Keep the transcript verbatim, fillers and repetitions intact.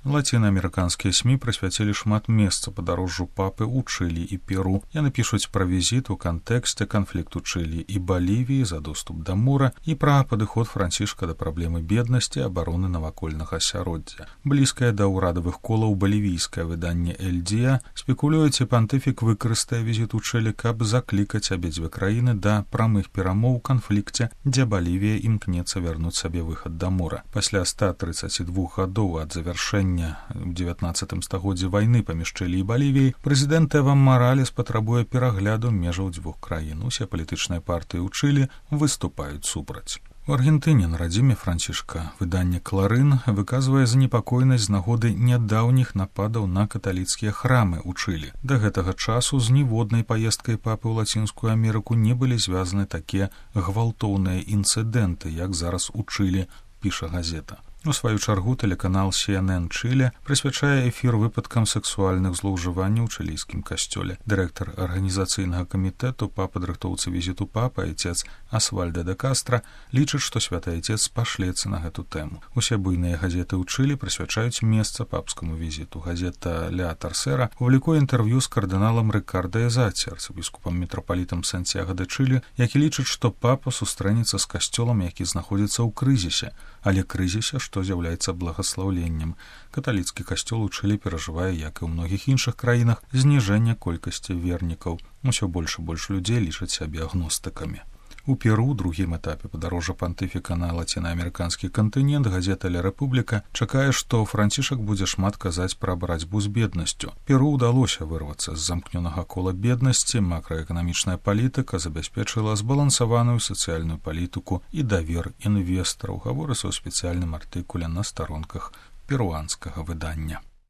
Лацінаамерыканскія СМІ прысвяцілі шмат месца падарожжу папы ў Чылі і Перу. Яны пішуць пра візіт у кантэксце канфлікту Чылі і Балівіі за доступ да мора і пра падыход Францішка да праблемы беднасці і абароны навакольнага асяроддзя. Блізкае да ўрадавых колаў балівійскае выданне «Эль Дía» спекулюе, ці пантыфік выкарыстае візіт у Чылі, каб заклікаць абедзве краіны да прамых перамоў у канфлікце, дзе Балівія імкнецца вярнуць сабе выхад да мора. Пасля ста трыццаці двух гадоў ад завяршэння у дзевятнаццатым стагоддзі вайны паміж Чылі і Балівіяй, прэзідэнт Эва Маралес патрабуе перагляду межаў дзвюх краін. Усе палітычныя партыі ў Чылі выступаюць супраць. У Аргентыне на радзіме Францішка выданне «Кларын» выказвае занепакоенасць з нагоды нядаўніх нападаў на каталіцкія храмы ў Чылі. Да гэтага часу з ніводнай паездкай папы ў Лацінскую Амерыку не былі звязаны такія гвалтоўныя інцыдэнты, як зараз у Чылі, піша газета. У сваю чаргу тэлеканал Си Эн Эн Чылі прысвячае эфір выпадкам сексуальных злоўжыванняў у чылійскім касцёле. Дырэктар арганізацыйнага камітэту па падрыхтоўцы візіту папы, айцец Асвальдо де Кастра, лічыць, што святы айцец пашлецца на гэту тэму. Усе буйныя газеты ў Чылі прысвячаюць месца папскаму візіту. Газета «Ля Тарсера» публікуе інтэрв'ю з кардыналам Рыкарда Эзаці, арцыбіскупам мітрапалітам Сантьяго де Чылі, які лічыць, што папа сустрэнецца з касцёлам, які знаходзіцца ў крызісе, але крызісе, што з'яўляецца благаслаўленнем. Каталіцкі касцёл у Чылі перажывае, як і ў многіх іншых краінах, зніжэнне колькасці вернікаў. Усё больш і больш людзей лічаць сябе агностыкамі. У Перу, другім этапе падарожжа пантыфіка на лацінаамерыканскі кантынент, газета «Ля Рэпубліка» чакае, што Францішак будзе шмат казаць пра барацьбу з беднасцю. Перу ўдалося вырвацца з замкнёнага кола беднасці, макраэканамічная палітыка забяспечыла збалансаваную сацыяльную палітыку і давер інвестараў, гаворыцца ў спецыяльным артыкуле на старонках перуанскага выдання.